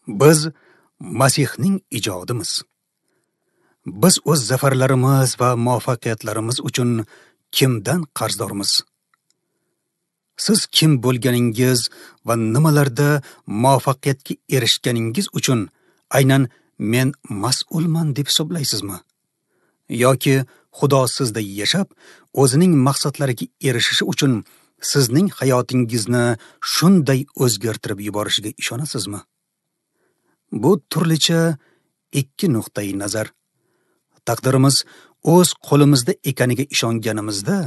Biz Masihning ijodimiz. Biz o'z zafarlarimiz va muvaffaqiyatlarimiz uchun kimdan qarzdormiz? Siz kim bo'lganingiz va nimalarda muvaffaqiyatga erishganingiz uchun aynan men mas'ulman deb hisoblaysizmi? Yoki Xudo sizda yashab, o'zining maqsadlariga erishishi uchun sizning hayotingizni shunday o'zgartirib yuborishiga ishonasizmi? Bu turlicha ikki nuqtai nazar. Taqdirimiz o'z qo'limizda ekaniga ishonganimizda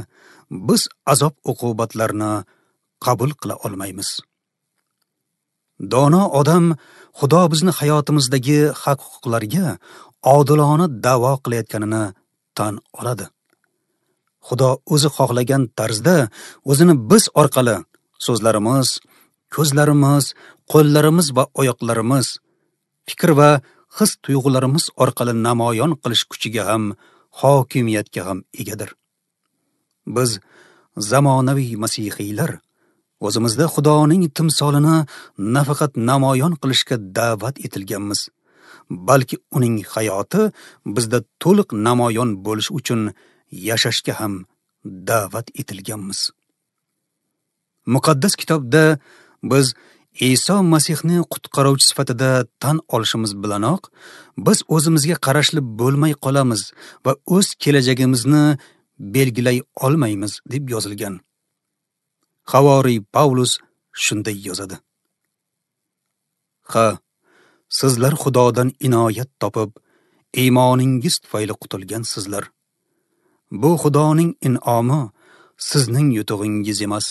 biz azob uqubatlarni qabul qila olmaymiz. Dono odam Xudo bizni hayotimizdagi haq-huquqlarga odilona da'vo qilayotganini tan oladi. Xudo o'zi xohlagan tarzda o'zini biz orqali so'zlarimiz, ko'zlarimiz, qo'llarimiz va oyoqlarimiz, fikr va his tuyg'ularimiz orqali namoyon qilish kuchiga ham, hokimiyatga ham egadir. Biz zamonaviy masihiylar o'zimizda Xudoning timsolini nafaqat namoyon qilishga da'vat etilganmiz, balki uning hayoti bizda to'liq namoyon bo'lishi uchun yashashga ham da'vat etilganmiz. Muqaddas kitobda biz Iso Masihni qutqaruvchi sifatida tan olishimiz bilanoq, biz o'zimizga qarashli bo'lmay qolamiz va o'z kelajagimizni belgilay olmaymiz deb yozilgan. Havoriy Pavlus shunday yozadi: Ha, sizlar Xudodan inoyat topib, iymoningiz tufayli qutulgansizlar. Bu Xudoning in'omi, sizning yutug'ingiz emas.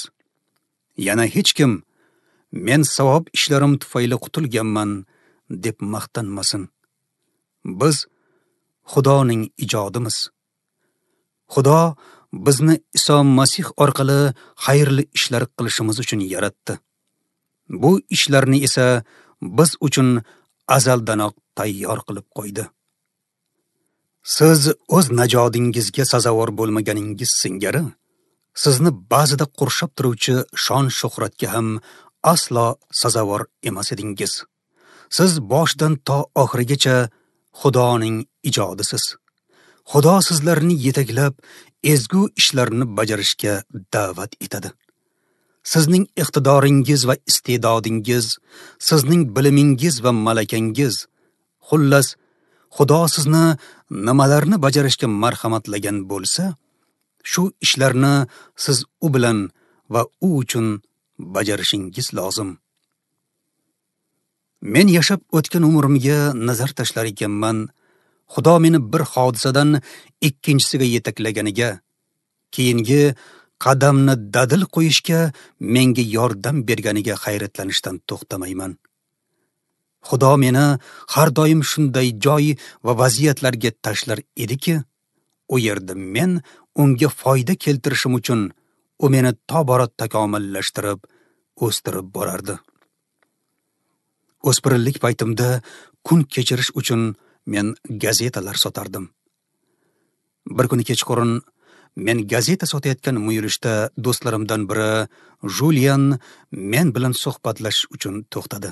Yana hech kim men savob ishlarim tufayli qutulganman deb maqtanmasin. Biz Xudoning ijodimiz. Xudo bizni Iso Masih orqali xayrli ishlar qilishimiz uchun yaratdi. Bu ishlarni esa biz uchun azaldanoq tayyor qilib qo'ydi. Siz o'z najodingizga sazovor bo'lmaganingiz singari, sizni ba'zida qurshab turuvchi shon-shuhratga ham aslo sazovor emas edingiz. Siz boshidan to oxirigacha Xudoning ijodisiz. Xudo sizlarni yetaklab, ezgu ishlarni bajarishga da'vat etadi. Sizning iqtidoringiz va iste'dodingiz, sizning bilimingiz va malakangiz, xullas, Xudo sizni nimalarni bajarishga marhamatlagan bo'lsa, shu ishlarni siz u bilan va u uchun bajarishingiz lozim. Men yashab o'tgan umrimga nazar tashlar ekanman, Xudo meni bir hodisadan ikkinchisiga yetaklaganiga, keyingi qadamni dadil qo'yishga menga yordam berganiga hayratlanishdan to'xtamayman. Xudo meni har doim shunday joy va vaziyatlarga tashlar ediki, u yerda men unga foyda keltirishim uchun u meni tobora takomillashtirib, o'stirib borardi. O'spirinlik paytimda kun kechirish uchun men gazetalar sotardim. Bir kuni kechqurun men gazeta sotayotgan muyulishda do'stlarimdan biri Julian men bilan suhbatlashish uchun to'xtadi.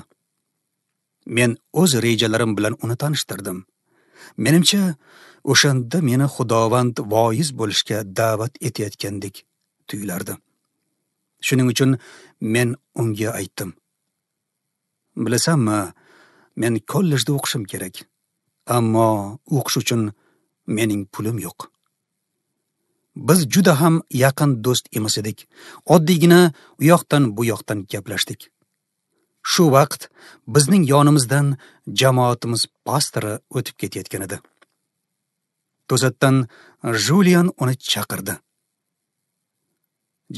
Men o'z rejalarim bilan uni tanishtirdim. Menimcha, o'shanda meni Xudovand voiz bo'lishga da'vat etayotgandek tuyulardi. Shuning uchun men unga aytdim: "Bilasanmi, men kollejda o'qishim kerak, ammo o'qish uchun mening pulim yo'q." Biz juda ham yaqin do'st emas edik. Oddiygina u yoqdan bu yoqdan gaplashdik. Shu vaqt bizning yonimizdan jamoatimiz pastori o'tib ketayotgan edi. To'satdan Julian uni chaqirdi.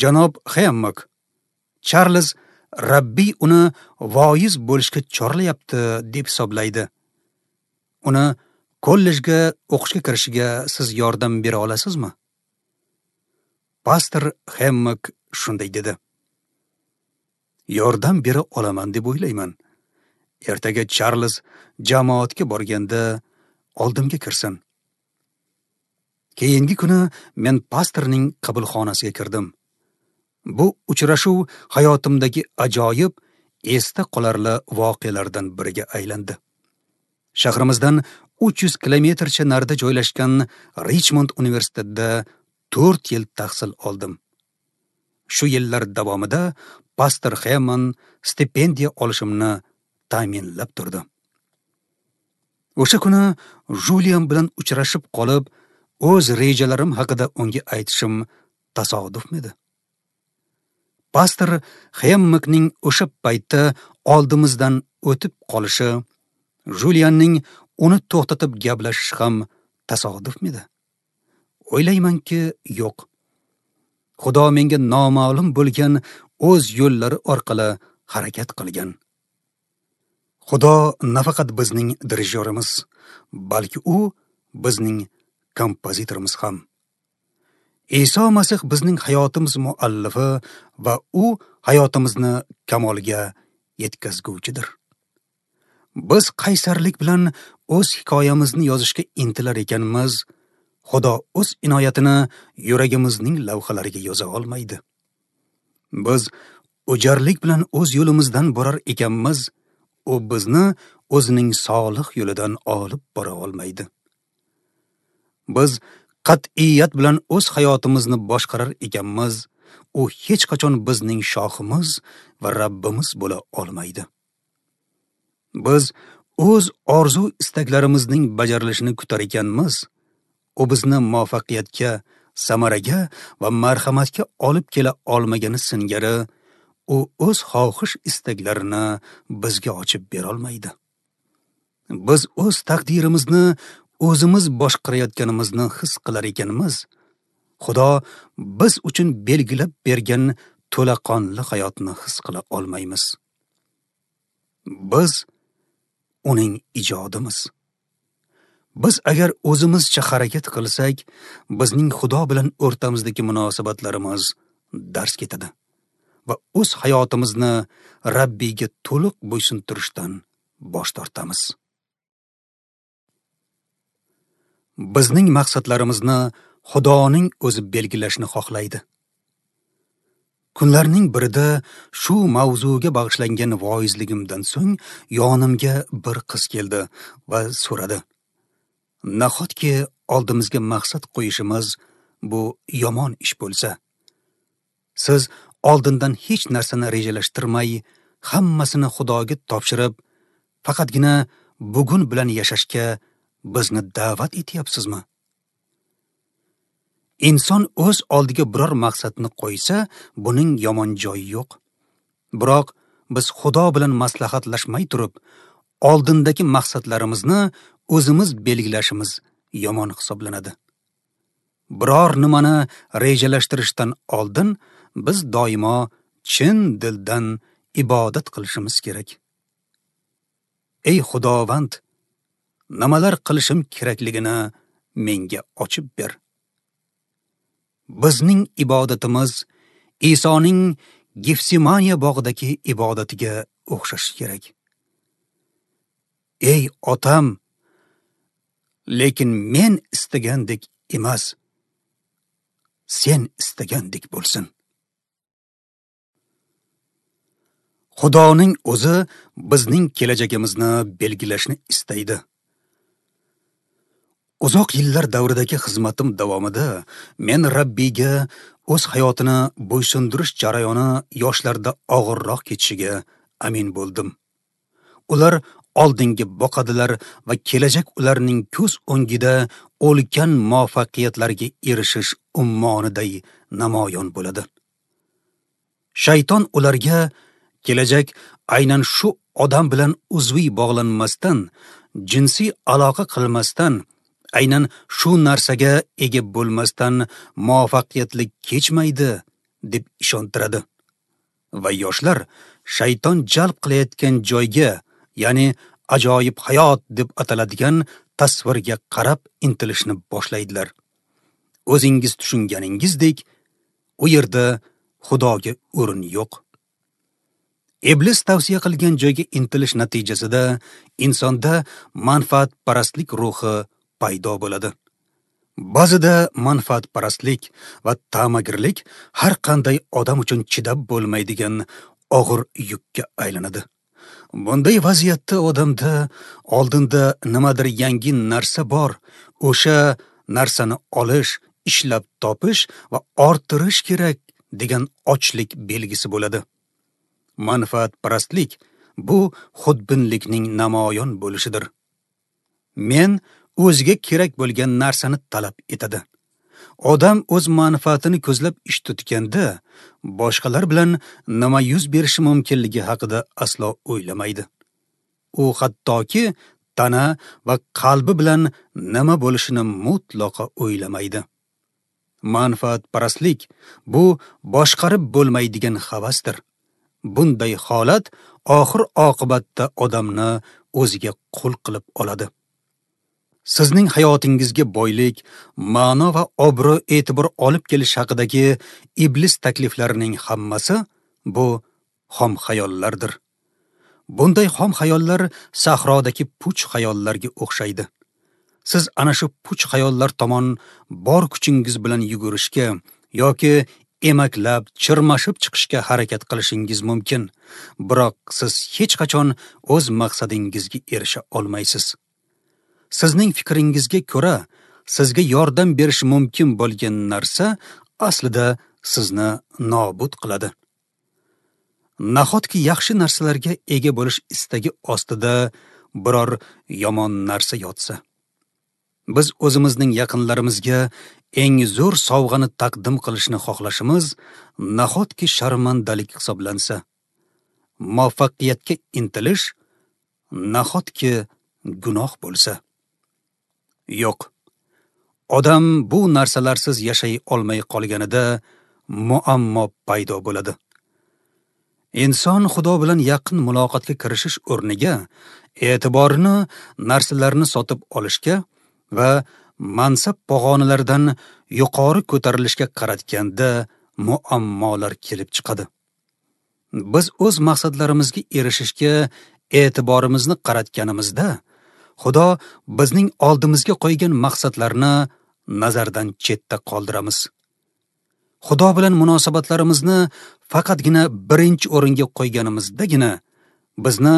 "Janob Hemmock, Charles Rabbiy uni voiz bo'lishga chorlayapti deb hisoblaydi. Uni kollejga o'qishga kirishiga siz yordam bera olasizmi?" Pastor Hemmock shunday dedi: "Yordam bera olaman deb o'ylayman. Ertaga Charles jamoatga borganda oldimga kirsin." Keyingi kuni men pastorning qabulxonasiga kirdim. Bu uchrashuv hayotimdagi ajoyib esda qolarli voqealardan biriga aylandi. Shahrimizdan 300 kilometrcha narida joylashgan Richmond universitetida 4 yil tahsil oldim. Shu yillar davomida pastor Hemon stipendiya olishimni ta'minlab turdi. O'sha kuni Julian bilan uchrashib qolib, o'z rejalarim haqida unga aytishim tasodifmidi? Pastor Hemmikning o'sha paytda oldimizdan o'tib qolishi, Julianning uni to'xtatib gaplashishi ham tasodifmidi? O'ylaymanki, yo'q. Xudo menga noma'lum bo'lgan o'z yo'llari orqali harakat qilgan. Xudo nafaqat bizning dirijyorimiz, balki u bizning kompozitorimiz ham. Iso Masih bizning hayotimiz muallifi va u hayotimizni kamolga yetkazguvchidir. Biz qaysarlik bilan o'z hikoyamizni yozishga intilar ekanmiz, Xudo o'z inoyatini yuragimizning lavhalariga yoza olmaydi. Biz o'jarlik bilan o'z yo'limizdan borar ekanmiz, u bizni o'zining solih yo'lidan olib bora olmaydi. Biz qat'iyat bilan o'z hayotimizni boshqarar ekanmiz, u hech qachon bizning shohimiz va Rabbimiz bo'la olmaydi. Biz o'z orzu istaklarimizning bajarilishini kutar ekanmiz, u bizni muvaffaqiyatga, samaraga va marhamatga olib kela olmagani singari, u o'z xohish istaklarini bizga ochib bera olmaydi. Biz o'z taqdirimizni o'zimiz boshqarayotganimizni his qilar ekanmiz, Xudo biz uchun belgilab bergan to'laqonli hayotni his qila olmaymiz. Biz uning ijodimiz. Biz agar o'zimizcha harakat qilsak, bizning Xudo bilan o'rtamizdagi munosabatlarimiz dars ketadi va o'z hayotimizni Rabbiyga to'liq bo'ysuntirishdan bosh tortamiz. Bizning maqsadlarimizni Xudoning o'zi belgilashni xohlaydi. Kunlarning birida shu mavzuga bag'ishlangan voizligimdan so'ng yonimga bir qiz keldi va so'radi: "Nahotki oldimizga maqsad qo'yishimiz bu yomon ish bo'lsa? Siz oldindan hech narsani rejalashtirmay, hammasini Xudoga topshirib, faqatgina bugun bilan yashashga bizni da'vat etyapsizmi?" Inson o'z oldiga biror maqsadni qo'ysa, buning yomon joyi yo'q. Biroq biz Xudo bilan maslahatlashmay turib, oldindagi maqsadlarimizni o'zimiz belgilashimiz yomon hisoblanadi. Biror nimani rejalashtirishdan oldin biz doimo chin dildan ibodat qilishimiz kerak. Ey Xudovand, nimalar qilishim kerakligini menga ochib ber. Bizning ibodatimiz Isoning Gefsimaniya bog'idagi ibodatiga o'xshashi kerak. Ey otam, lekin men istagandek emas, sen istagandek bo'lsin. Xudoning o'zi bizning kelajagimizni belgilashni istaydi. Uzoq yillar davridagi xizmatim davomida men Rabbiyga o'z hayotini bo'ysundirish jarayoni yoshlarda og'irroq kechishiga amin bo'ldim. Ular oldinga boqadilar va kelajak ularning ko'z o'ngida ulkan muvaffaqiyatlarga erishish ummoniday namoyon bo'ladi. Shayton ularga kelajak aynan shu odam bilan uzviy bog'lanmasdan, jinsiy aloqa qilmasdan, aynan shu narsaga ega bo'lmasdan muvaffaqiyatli kechmaydi deb ishontiradi. Va yoshlar shayton jalb qilayotgan joyga, ya'ni ajoyib hayot deb ataladigan tasvirga qarab intilishni boshlaydilar. O'zingiz tushunganingizdek, u yerda Xudoga o'rin yo'q. Iblis tavsiya qilgan joyga intilish natijasida insonda manfaatparastlik ruhi paydo bo'ladi. Ba'zida manfaatparastlik va ta'magirlik har qanday odam uchun chidab bo'lmaydigan og'ir yukka aylanadi. Bunday vaziyatda odamda oldinda nimadir yangi narsa bor, o'sha narsani olish, ishlab topish va orttirish kerak degan ochlik belgisi bo'ladi. Manfaatparastlik bu xudbinlikning namoyon bo'lishidir. Men o'ziga kerak bo'lgan narsani talab etadi. Odam o'z manfaatini ko'zlab ish tutganda, boshqalar bilan nima yuz berishi mumkinligi haqida aslo o'ylamaydi. U hattoki tana va qalbi bilan nima bo'lishini mutlaqo o'ylamaydi. Manfaatparastlik bu boshqarib bo'lmaydigan havasdir. Bunday holat oxir oqibatda odamni o'ziga qul qilib oladi. Sizning hayotingizga boylik, ma'no va obro' e'tibor olib kelish haqidagi iblis takliflarining hammasi bu xom xayollardir. Bunday xom xayollar sahrodagi puch xayollarga o'xshaydi. Siz ana shu puch xayollar tomon bor kuchingiz bilan yugurishga yoki emaklab, chirmashib chiqishga harakat qilishingiz mumkin, biroq siz hech qachon o'z maqsadingizga erisha olmaysiz. Sizning fikringizga ko'ra, sizga yordam berishi mumkin bo'lgan narsa aslida sizni nobud qiladi. Nahotki yaxshi narsalarga ega bo'lish istagi ostida biror yomon narsa yotsa? Biz o'zimizning yaqinlarimizga eng zo'r sovg'ani taqdim qilishni xohlashimiz nahotki sharmandalik hisoblansa? Muvaffaqiyatga intilish nahotki gunoh bo'lsa? Yo'q. Odam bu narsalarsiz yashay olmay qolganida muammo paydo bo'ladi. Inson Xudo bilan yaqin muloqotga kirishish o'rniga e'tiborini narsalarni sotib olishga va mansab pog'onalaridan yuqori ko'tarilishga qaratganda muammolar kelib chiqadi. Biz o'z maqsadlarimizga erishishga e'tiborimizni qaratganimizda, Xudo bizning oldimizga qo'ygan maqsadlarni nazardan chetda qoldiramiz. Xudo bilan munosabatlarimizni faqatgina birinchi o'ringa qo'yganimizdagina bizni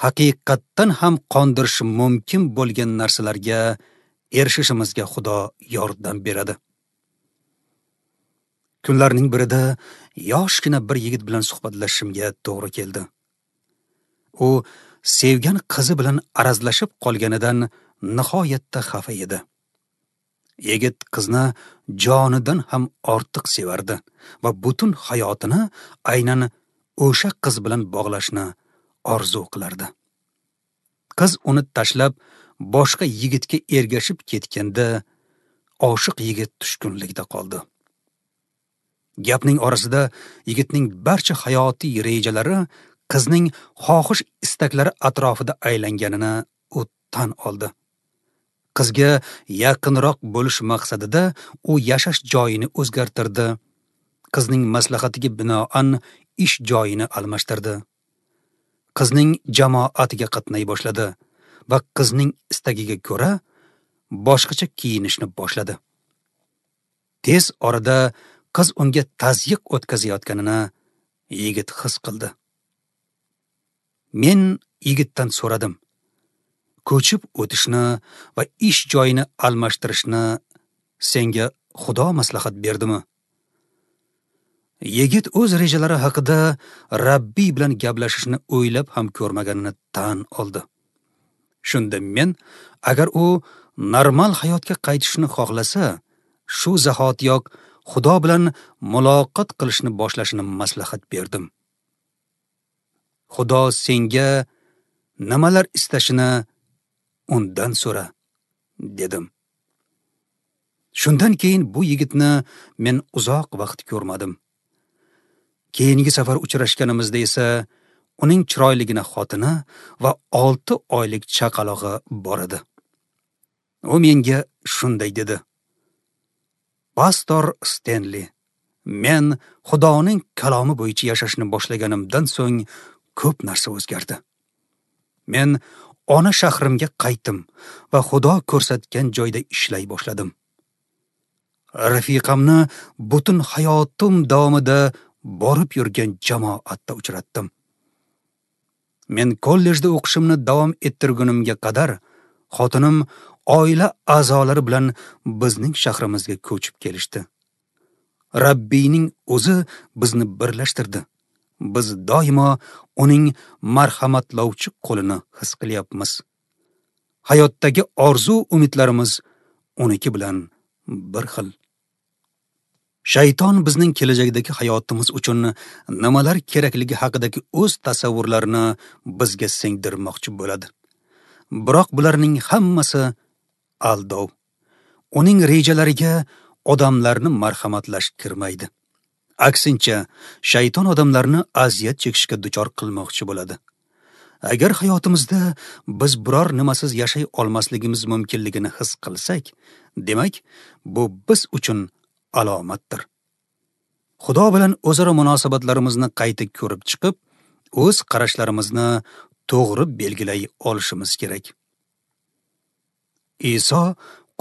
haqiqatdan ham qondirishi mumkin bo'lgan narsalarga erishishimizga Xudo yordam beradi. Kunlarning birida yoshgina bir yigit bilan suhbatlashishimga to'g'ri keldi. U sevgan qizi bilan arazlashib qolganidan nihoyatda xafa edi. Yigit qizni jonidan ham ortiq sevardi va butun hayotini aynan o'sha qiz bilan bog'lashni orzu qilardi. Qiz uni tashlab boshqa yigitga ergashib ketganda oshiq yigit tushkunlikda qoldi. Gapning orasida yigitning barcha hayotiy rejalari qizning xohish istaklari atrofida aylanganini u tan oldi. Qizga yaqinroq bo'lish maqsadida u yashash joyini o'zgartirdi. Qizning maslahatiga binoan ish joyini almashtirdi. Qizning jamoatiga qatnay boshladi va qizning istagiga ko'ra boshqacha kiyinishni boshladi. Tez orada qiz unga tazyiq o'tkazayotganini yigit his qildi. Men yigitdan so'radim. Ko'chib o'tishni va ish joyini almashtirishni senga Xudo maslahat berdimi? Yigit o'z rejalari haqida Rabbiy bilan gaplashishni o'ylab ham ko'rmaganini tan oldi. Shunda men, agar u normal hayotga qaytishni xohlasa, shu zahotiyoq Xudo bilan muloqot qilishni boshlashini maslahat berdim. Xudo senga nimalar istashini undan so'ra, dedim. Shundan keyin bu yigitni men uzoq vaqt ko'rmadim. Keyingi safar uchrashganimizda esa uning chiroyligina xotini va 6 oylik chaqalog'i bor edi. U menga shunday dedi: Pastor Stenli, men Xudoning kalomi bo'yicha yashashni boshlaganimdan so'ng ko'p narsa o'zgardi. Men ona shahrimga qaytdim va Xudo ko'rsatgan joyda ishlay boshladim. Rafiqamni butun hayotim davomida borib yurgan jamoatda uchratdim. Men kollejda o'qishimni davom ettirgunimga qadar xotinim oila a'zolari bilan bizning shahrimizga ko'chib kelishdi. Rabbiyning o'zi bizni birlashtirdi. Biz doimo uning marhamatlovchi qo'lini his qilyapmiz. Hayotdagi orzu umidlarimiz uniki bilan bir xil. Shayton bizning kelajakdagi hayotimiz uchun nimalar kerakligi haqidagi o'z tasavvurlarini bizga singdirmoqchi bo'ladi. Biroq bularning hammasi aldov. Uning rejalariga odamlarni marhamatlash kirmaydi. Aksincha, shayton odamlarni aziyat chekishga duchor qilmoqchi bo'ladi. Agar hayotimizda biz biror nimasiz yashay olmasligimiz mumkinligini his qilsak, demak, bu biz uchun alomatdir. Xudo bilan o'zaro munosabatlarimizni qayta ko'rib chiqib, o'z qarashlarimizni to'g'ri belgilay olishimiz kerak. Iso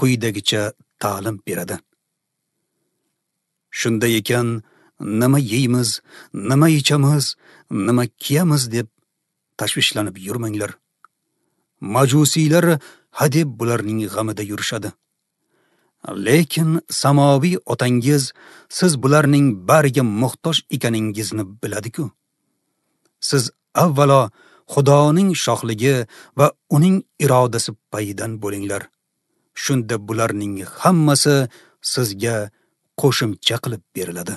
quyidagicha ta'lim beradi. Shunday ekan, nima yeymiz, nima ichamiz, nima kiyamiz deb tashvishlanib yurmanglar. Majusiylar hadeb bularning g'amida yurishadi. Lekin samoviy otangiz siz bularning bariga muhtoj ekaningizni biladi-ku. Siz avvalo Xudoning shohligi va uning irodasi payidan bo'linglar. Shunda bularning hammasi sizga qo'shimcha qilib beriladi.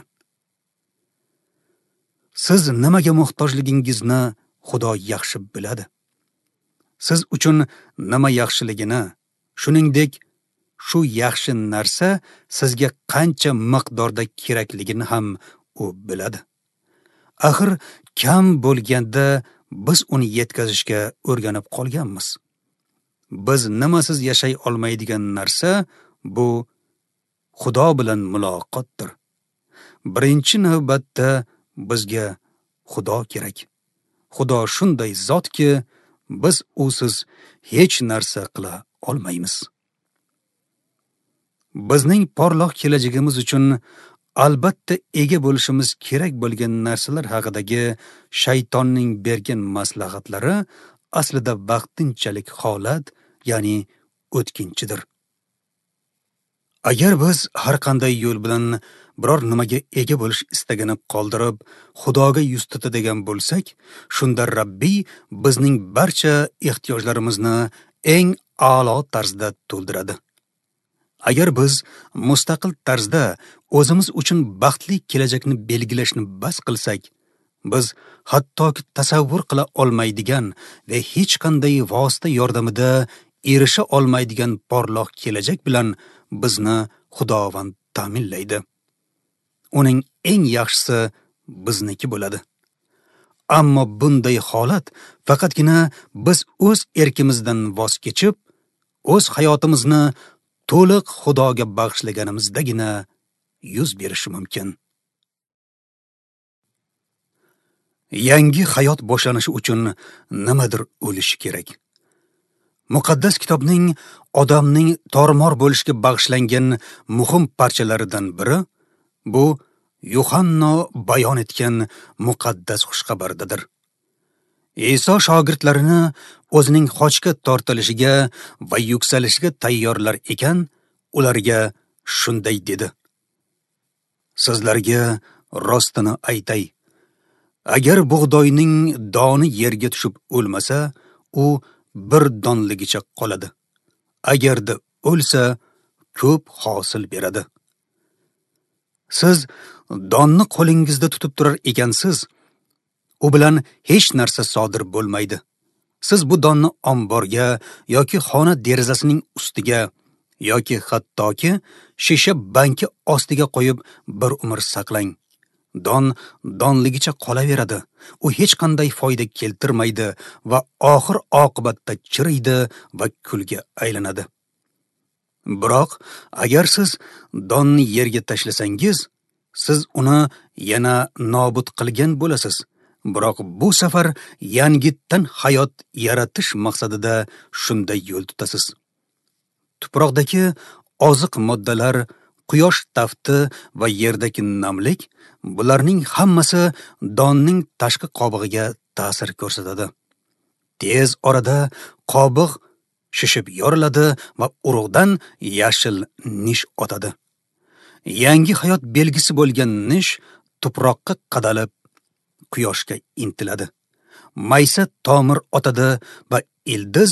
Siz nimaga muhtojligingizni Xudo yaxshi biladi. Siz uchun nima yaxshiligini, shuningdek, shu yaxshi narsa sizga qancha miqdorda kerakligini ham u biladi. Axir kam bo'lganda biz uni yetkazishga o'rganib qolganmiz. Biz nimasiz yashay olmaydigan narsa bu Xudo bilan muloqotdir. Birinchi navbatda bizga Xudo kerak. Xudo shunday zotki, biz usiz hech narsa qila olmaymiz. Bizning porloq kelajagimiz uchun albatta ega bo'lishimiz kerak bo'lgan narsalar haqidagi shaytonning bergan maslahatlari aslida vaqtinchalik holat, ya'ni o'tkinchidir. Agar biz har qanday yo'l bilan biror nimaga ega bo'lish istagini qoldirib, Xudoga yuz tutadigan bo'lsak, shunda Rabbiy bizning barcha ehtiyojlarimizni eng a'lo tarzda to'ldiradi. Agar biz mustaqil tarzda o'zimiz uchun baxtli kelajakni belgilashni bas qilsak, biz hattoki tasavvur qila olmaydigan va hech qanday vosita yordamida erisha olmaydigan porloq kelajak bilan bizni Xudovand ta'minlaydi. Uning eng yaxshisi bizniki bo'ladi. Ammo bunday holat faqatgina biz o'z erkimizdan voz kechib, o'z hayotimizni to'liq Xudoga bag'ishlaganimizdagina yuz berishi mumkin. Yangi hayot boshlanishi uchun nimadir o'lishi kerak. Muqaddas kitobning odamning tormor bo'lishiga bag'ishlangan muhim parchalaridan biri bu Yuhanno bayon etgan muqaddas xushxabardadir. Iso shogirdlarini o'zining xochga tortilishiga va yuksalishiga tayyorlar ekan, ularga shunday dedi: Sizlarga rostini aytay, agar bug'doyning doni yerga tushib o'lmasa, u bir donligicha qoladi. Agarda o'lsa, ko'p hosil beradi. Siz donni qo'lingizda tutib turar ekansiz, u bilan hech narsa sodir bo'lmaydi. Siz bu donni omborga yoki xona derazasining ustiga yoki hattoki shisha banki ostiga qo'yib bir umr saqlang. Don donligicha qolaveradi. U hech qanday foyda keltirmaydi va oxir oqibatda chiriydi va kulga aylanadi. Biroq agar siz donni yerga tashlasangiz, siz uni yana nobud qilgan bo'lasiz. Biroq bu safar yangitdan hayot yaratish maqsadida shunday yo'l tutasiz. Tuproqdagi oziq moddalar quyosh tafti va yerdagi namlik, bularning hammasi donning tashqi qobig'iga ta'sir ko'rsatadi. Tez orada qobiq shishib yoriladi va urug'dan yashil nish otadi. Yangi hayot belgisi bo'lgan nish tuproqqa qadalib, quyoshga intiladi. Maysa tomir otadi va ildiz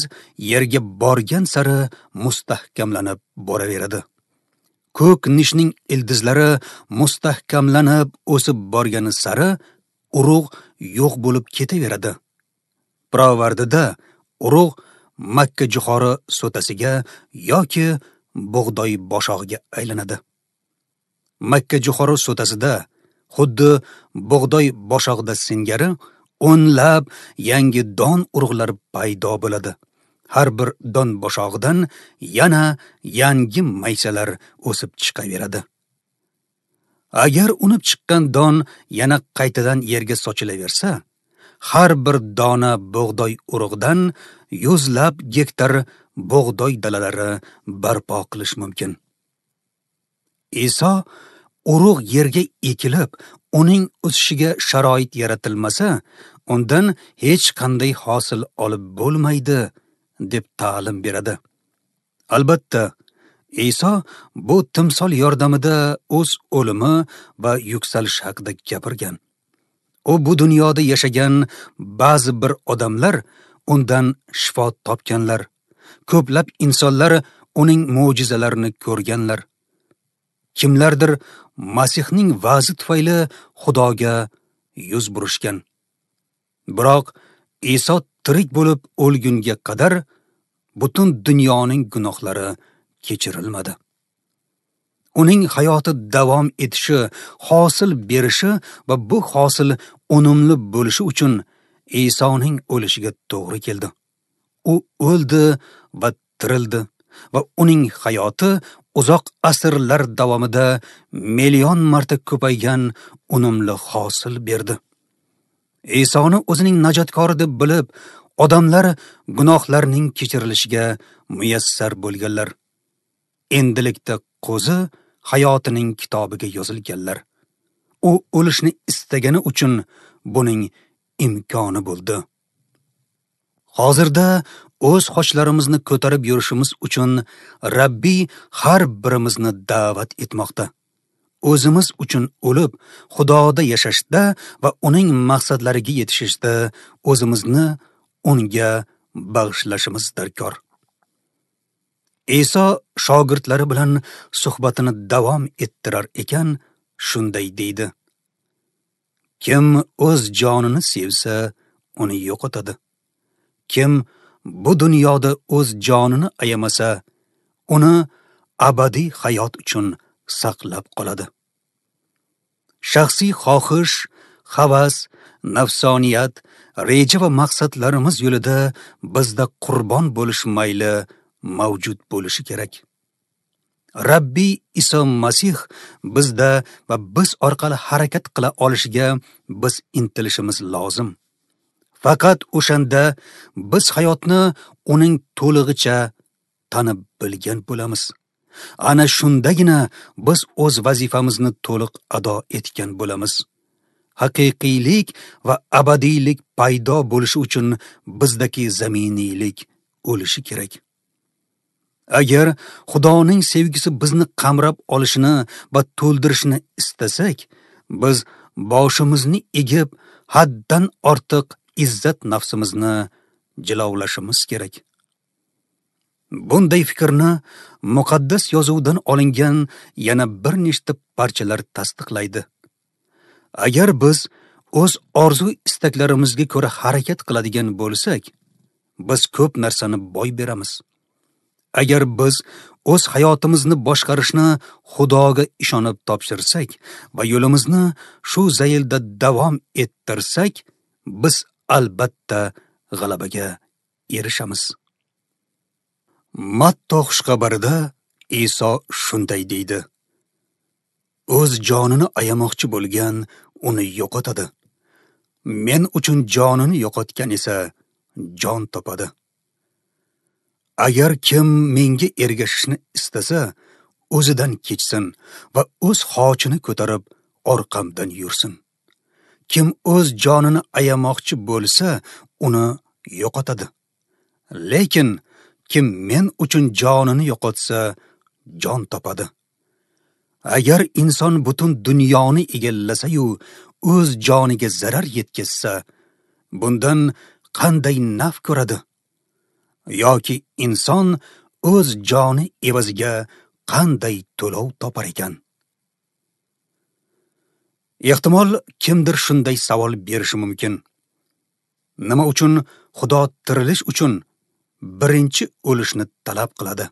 yerga borgan sari mustahkamlanib boraveradi. Ko'k nishning ildizlari mustahkamlanib o'sib borgani sari urug' yo'q bo'lib ketaveradi. Pirovardida urug' makka jo'xori so'tasiga yoki bug'doy boshog'iga aylanadi. Makka jo'xori so'tasida xuddi bug'doy boshog'ida singari o'nlab yangi don urug'lari paydo bo'ladi. Har bir don boshog'idan yana yangi maysalar o'sib chiqaveradi. Agar unib chiqqan don yana qaytadan yerga sochilaversa, har bir dona bug'doy urug'idan yuzlab gektar bug'doy dalalari barpo qilish mumkin. Iso urug' yerga ekilib, uning o'sishiga sharoit yaratilmasa, undan hech qanday hosil olib bo'lmaydi, deb ta'lim beradi. Albatta, Iso bu timsol yordamida o'z o'limi va yuksalishi haqida gapirgan. U bu dunyoda yashagan ba'zi bir odamlar undan shifo topganlar. Ko'plab insonlar uning mo'jizalarini ko'rganlar. Kimlardir Masihning va'zi tufayli Xudoga yuz burishgan. Biroq Iso tirik bo'lib o'lgunga qadar butun dunyoning gunohlari kechirilmadi. Uning hayoti davom etishi, hosil berishi va bu hosil unumli bo'lishi uchun Isoning o'lishiga to'g'ri keldi. U o'ldi va tirildi va uning hayoti uzoq asrlar davomida million marta ko'paygan unumli hosil berdi. Isoni o'zining najotkori deb bilib, odamlar gunohlarning kechirilishiga muyassar bo'lganlar. Endilikda qo'zi hayotining kitobiga yozilganlar. U o'lishni istagani uchun buning imkoni bo'ldi. Hozirda o'z xochlarimizni ko'tarib yurishimiz uchun Rabbiy har birimizni da'vat etmoqda. O'zimiz uchun o'lib, Xudoda yashashda va uning maqsadlariga yetishishda o'zimizni unga bag'ishlashimiz darkor. Iso shogirdlari bilan suhbatini davom ettirar ekan, shunday deydi: Kim o'z jonini sevsa, uni yo'qotadi. Kim bu dunyoda o'z jonini ayamasa, uni abadiy hayot uchun saqlab qoladi. Shaxsiy xohish, havas, nafsoniyat, reja va maqsadlarimiz yo'lida bizda qurbon bo'lish mayli mavjud bo'lishi kerak. Rabbiy Iso Masih bizda va biz orqali harakat qila olishiga biz intilishimiz lozim. Faqat o'shanda biz hayotni uning to'lig'icha tanib bilgan bo'lamiz. Ana shundagina biz o'z vazifamizni to'liq ado etgan bo'lamiz. Haqiqiylik va abadiylik paydo bo'lishi uchun bizdagi zaminiylik o'lishi kerak. Agar Xudoning sevgisi bizni qamrab olishini va to'ldirishini istasak, biz boshimizni egib, haddan ortiq izzat nafsimizni jilovlashimiz kerak. Bunday fikrni muqaddas yozuvdan olingan yana bir nechta parchalar tasdiqlaydi. Agar biz o'z orzu istaklarimizga ko'ra harakat qiladigan bo'lsak, biz ko'p narsani boy beramiz. Agar biz o'z hayotimizni boshqarishni Xudoga ishonib topshirsak va yo'limizni shu zaylda davom ettirsak, biz albatta g'alabaga erishamiz. Matto xushxabarida Iso shunday deydi: O'z jonini ayamoqchi bo'lgan uni yo'qotadi. Men uchun jonini yo'qotgan esa jon topadi. Agar kim menga ergashishni istasa, o'zidan kechsin va o'z xochini ko'tarib orqamdan yursin. Kim o'z jonini ayamoqchi bo'lsa, uni yo'qotadi. Lekin kim men uchun jonini yo'qotsa, jon topadi. Agar inson butun dunyoni egallasa-yu, o'z joniga zarar yetkazsa, bundan qanday naf ko'radi? Yoki inson o'z joni evaziga qanday to'lov topar ekan? Ehtimol kimdir shunday savol berishi mumkin. Nima uchun Xudo tirilish uchun birinchi o'lishni talab qiladi?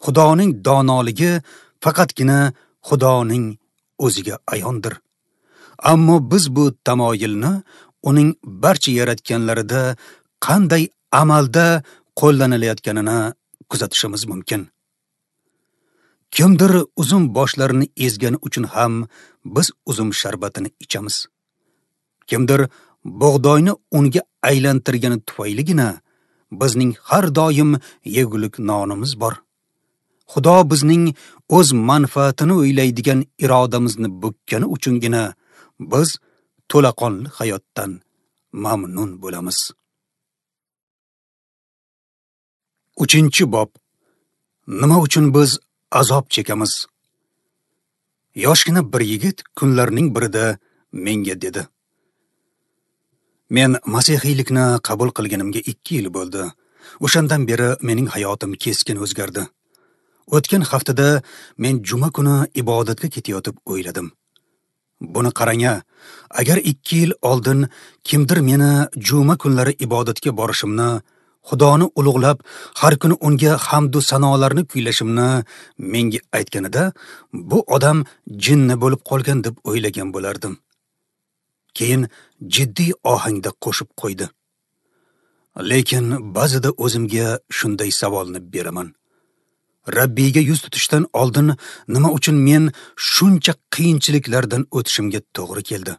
Xudoning donoligi faqatgina Xudoning o'ziga ayondir. Ammo biz bu tamoyilni uning barcha yaratganlarida qanday amalda qo'llanilayotganini kuzatishimiz mumkin. Kimdir uzum boshlarini ezgani uchun ham biz uzum sharbatini ichamiz. Kimdir bug'doyni unga aylantirgani tufayligina bizning har doim yegulik nonimiz bor. Xudo bizning o'z manfaatini o'ylaydigan irodamizni bukkani uchungina biz to'laqonli hayotdan mamnun bo'lamiz. 3-bob. Nima uchun biz azob chekamiz? Yoshgina bir yigit kunlarning birida menga dedi: Men masihiylikni qabul qilganimga 2 yil bo'ldi. O'shandan beri mening hayotim keskin o'zgardi. O'tgan haftada men juma kuni ibodatga ketayotib o'yladim. Buni qarang-a, agar 2 yil oldin kimdir meni juma kunlari ibodatga borishimni, Xudoni ulug'lab, har kuni unga hamd va sanolarni kuylashimni menga aytganida, bu odam jinni bo'lib qolgan deb o'ylagan bo'lardim. Keyin jiddiy ohangda qo'shib qo'ydi: Lekin ba'zida o'zimga shunday savolni beraman. Rabbiyga yuz tutishdan oldin nima uchun men shuncha qiyinchiliklardan o'tishimga to'g'ri keldi?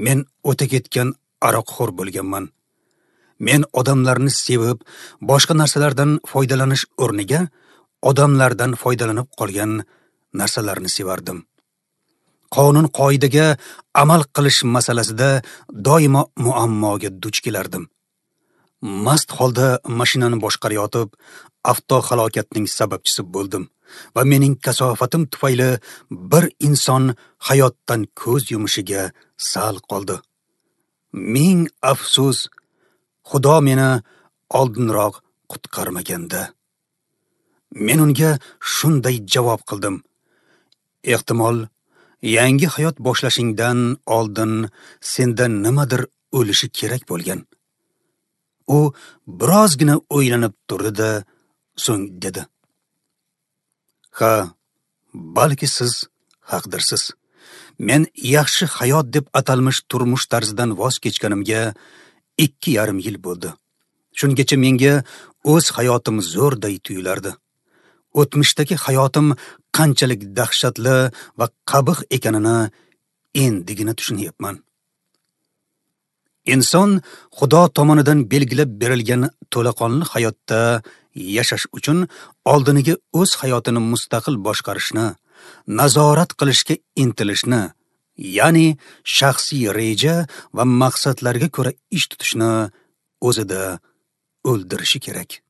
Men o'ta ketgan aroqxo'r bo'lganman. Men odamlarni sevib, boshqa narsalardan foydalanish o'rniga odamlardan foydalanib qolgan narsalarni sevardim. Qonun qoidaga amal qilish masalasida doimo muammoga duch kelardim. Mast holda mashinani boshqarayotib, avtohalokatning sababchisi bo'ldim va mening kasofatim tufayli bir inson hayotdan ko'z yumishiga sal qoldi. Ming afsus, Xudo meni oldinroq qutqarmaganda. Men unga shunday javob qildim: Ehtimol, yangi hayot boshlashingdan oldin senda nimadir o'lishi kerak bo'lgan. U birozgina o'ylanib turdi-da, so'ng dedi: Ha, balki siz haqdirsiz. Men yaxshi hayot deb atalmish turmush tarzidan voz kechganimga 2,5 yil bo'ldi. Shungacha menga o'z hayotim zo'rday tuyulardi. O'tmishdagi hayotim qanchalik dahshatli va qabih ekanini endigina tushunyapman. Inson Xudo tomonidan belgilab berilgan to'laqonli hayotda yashash uchun oldiniga o'z hayotini mustaqil boshqarishni, nazorat qilishga intilishni, ya'ni shaxsiy reja va maqsadlarga ko'ra ish tutishni o'zida o'ldirishi kerak.